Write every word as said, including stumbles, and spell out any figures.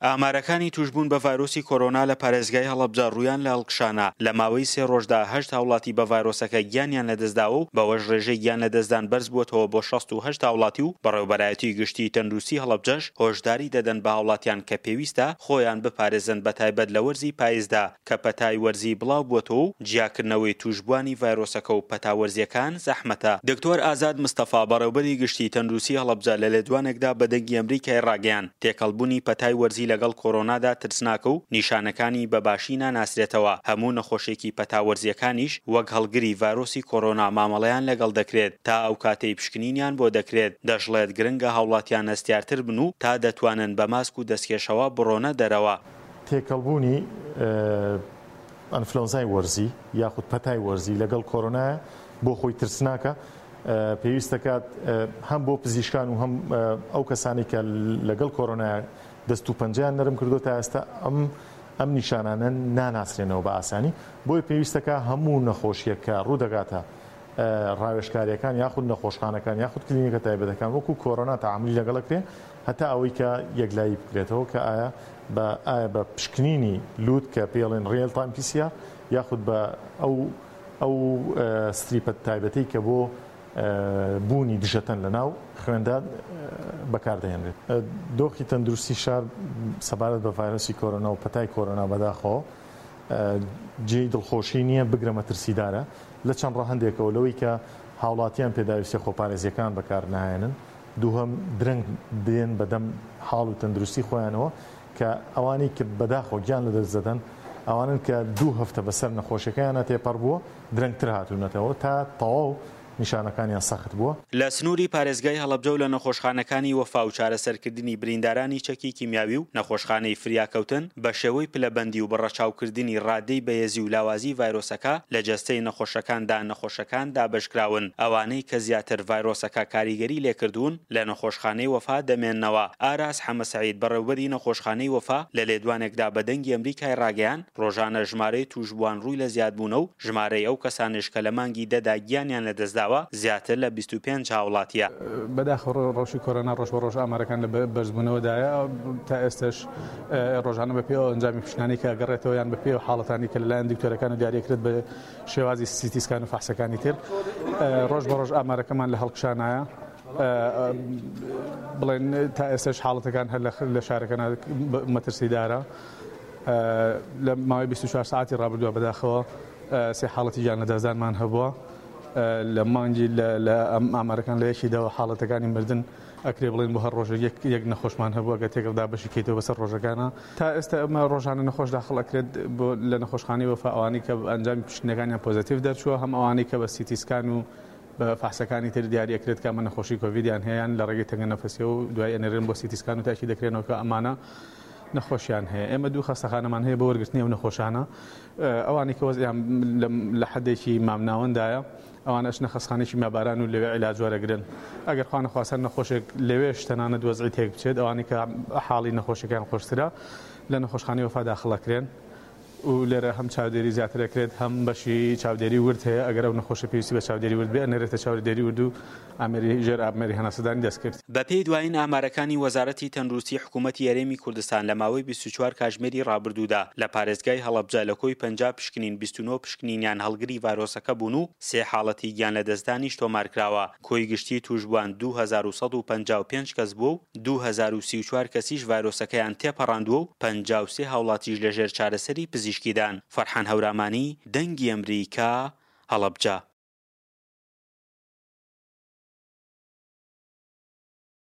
ئامارەکانی تووشبوون بە ڤایرۆسی کۆرۆنا لە پارێزگای هەڵەبجە ڕوویان لە هەڵکشانە، لە ماوەی سێ ڕۆژدا هەشت هاوڵاتی بە ڤایرۆسەکە گیانیان لەدەستداوە و بەوەش ڕێژەی گیان لەدەستدان بەرزبووەتەوە بۆ شەست و هەشت هاوڵاتی و بەڕێوبەرایەتی گشتی تەندروستی هەڵەبجەش هۆشداری دەدەن بە هاوڵاتیان کە پێویستە خۆیان بپارێزن بەتایبەت لە وەرزی پایزدا کە پەتای وەرزی بڵاوبووەتەوە و جیاکردنەوەی تووشبووانی ڤایرۆسەکە و پەتا وەرزییەکان زەحمەتە. دکتۆر ئازاد مستەفا، بەڕێوبەری گشتی تەندروستی هەڵەبجە لە لێدوانێکدا بە دەنگی ئەمریکای ڕاگەیاند، تێکەڵبوونی پەتای وەرزی لەگەڵ کۆرۆنادا ترسناکە و نیشانەکانی بە باشی ناناسرێتەوە، هەموو نەخۆشێکی پەتا وەرزییەکانیش وەک هەڵگری ڤایرۆسی کۆرۆنا مامەڵەیان لەگەڵ دەکرێت تا ئەو کاتەی پشکنینیان بۆ دەکرێت، دەشڵێت گرنگە هاوڵاتیان هەستیارتر بن و تا دەتوانن بە ماسک و دەستکێشەوە بڕۆنە دەرەوە. تێکەڵبوونی ئەنفلۆنزای وەرزی یاخود پەتای وەرزی لەگەڵ کۆرۆنایە بۆ خۆی ترسناکە، پێویست دەکات هەم بۆ پزیشکان و هەم ئەو کەسانی کە لەگەڵ کۆرۆنایە دەست و پەنجەیان نەرم کردو تا ئێستا ئەم ئەم نیشانانە ناناسرێنەوە بە ئاسانی، بۆیە پێویستەکە هەموو نەخۆشیەک کە ڕوودەگاتە ڕاوێژکاریەکان یاخود نەخۆشخانەکان یاخود کلینیکە تایبەتەکان وەکو کۆرۆنا تەعاملی لەگەڵ کرێ هەتا ئەوەی کە یەکلایی بکرێتەوە کە ئایا بە ئایا بە پشکنینی لوت کە پێڵێن real time P C R یاخود بە ئەو ئەو strip ە تایبەتەی کە بۆ بوونی دژەتەن لە ناو خوێندا بەکاردەهێنرێت. دۆخی تەندروستی شار سەبارەت بە ڤایرۆسی کۆرۆنا و پەتای کۆرۆنا بەداخەوە جێی دڵخۆشی نییە، بگرە مەترسیدارە لە چەند ڕەهەندێکەوە، لەوەی کە هاوڵاتیان پێداویستیە خۆپارێزیەکان بەکار ناهێنن، دووهەم درەنگ دێن بەدەم حاڵ و تەندروستی خۆیانەوە کە ئەوانەی کە بەداخەوە گیان لەدەست دەدەن ئەوانن کە دوو هەفتە بەسەر نەخۆشیەکەیانە تێپەڕ بووە درەنگتر هاتوونەتەوە تا تەواو نیشانەکانیان سەخت بووە. لە سنووری پارێزگای هەڵەبجە و لە نەخۆشخانەکانی وەفا و چارەسەرکردنی بریندارانی چەکی کیمیاوی و نەخۆشخانەی فریاکەوتن بە شێوەی پلەبەندی و بە ڕەچاوکردنی ڕادەی بەهێزی و لاوازی ڤایرۆسەکە لە جەستەی نەخۆشەکاندا نەخۆشەکان دابەشکراون، ئەوانەی کە زیاتر ڤایرۆسەکە کاریگەری لێکردوون لە نەخۆشخانەی وەفا دەمێننەوە. ئاراس حەمەسەعید بەڕێوبەری نەخۆشخانەی وەفا لە لێدوانێکدا بە دەنگی ئەمریکای ڕاگەیاند، ڕۆژانە ژمارەی تووشبووان ڕووی لە زیادبوونە و ژمارەی ئەو کەسانەش کە لە مانگی دەدا گیانیان لەدەستداوە زیاتر لە بیست و پێنج هاوڵاتیە. بەداخەوە ڕەوشی کۆرۆنا ڕۆژ بە ڕۆژ ئامارەکان لە بەرزبوونەوەدایە، تا ئێستش ڕۆژانە بە پێی ئەنجامی پشکنانی کە گەڕێتەوە یان بە پێی حاڵەتانی کە لەلایەن دکتۆرەکان دیاریەکرێت بە شێوازی سیتی سکان و فەحسەکانی تر، ڕۆژ بە ڕۆژ ئامارەکەمان لە هەڵکشانایە. بڵێن تا ئێستش حاڵەتەکان هەر لە شارەکەنا مەترسیدارە. لە ماوەی بیست و چوار ساعتی ڕابردووە بەداخەوە سێ حاڵەتی گیان لەدەستدانمان هەبووە. لە مانگی لە ئامارەکان لە یەکی دەوە حاڵەتەکانی مردن ئەکرێ بڵێن بۆ هەر ڕۆژێک یەک نەخۆشمان هەبووە کە تێکەڵدا بەشی کەیتەوە بەسەر ڕۆژەکانە. تا ئێستا ئەمە ڕۆژانە نەخۆش داخڵ ئەکرێت بۆ لە نەخۆشخانەی وەفا ئەوانەی کە ئەنجامی پشکنینەکانیان positive دەرچووە، هەم ئەوانەی کە بە سیتی سکان و بە فەحسەکانی تر دیاری ئەکرێت کە ئەمە نەخۆشی کۆڤیدیان هەیە لە ڕێگەی تەنگە نەفەسیەوە و دوای ئەنێرن بۆ سیتی سکان و تاکی دەکرێنەوە کە ئەمانە نەخۆشیان هەیە. ئێمە دوو خەستەخانەمان هەیە بۆ وەرگرتنی ئەو نەخۆشانە، ئەوانەی کە وەزعیان لە حدێکی مامناوەندایە ئەوانەش نەخەستخانێکی ماباران و لەوێ عیلاج وەرەگرن. ئەگەر خوا نەخواستە نەخۆشێک لەوێش تەنانەت وەزعی تێک بچێت، ئەوانەی کە حاڵی نەخۆشیەکان خۆشترە لە نەخۆشخانەی وەفا داخڵ ئەکرێن و لێرە هەم چاودێری زیاتر ئەکرێت، هەم بەشی چاودێری ورد هەیە. ئەگەر ئەو نەخۆشە پێویستی بە چاودێری ورد بێ ئەنێرێتە چاودێری ورد و ئامێری ژێر ئامێری هەناسەدانی دەستکرد. بەپێی دوایین ئامارەکانی وەزارەتی تەندروستی حکوومەتی هەرێمی کوردستان لە ماوەی بیست و چوار کاتژمێری ڕابردوودا لە پارێزگای هەڵەبجە لە کۆی پەنجا پشکنین بیست و نۆ پشکنینیان هەڵگری ڤایرۆسەکە بوون و سێ حاڵەتی گیان لەدەستدانیش تۆمارکراوە. کۆی گشتی تووشبووان دوو هەزار و سەد و پەنجا و پێنج کەس بووە و دوو هەزار و سی و چوار کەسیش ڤایرۆسەکەیان تێپەڕاندووە و پەنجا و سێ هاوڵاتیش لەژێر چارەسەری پزیشکیدان. فەرحان هەورامانی، دەنگی ئەمریکا، هەڵەبجە.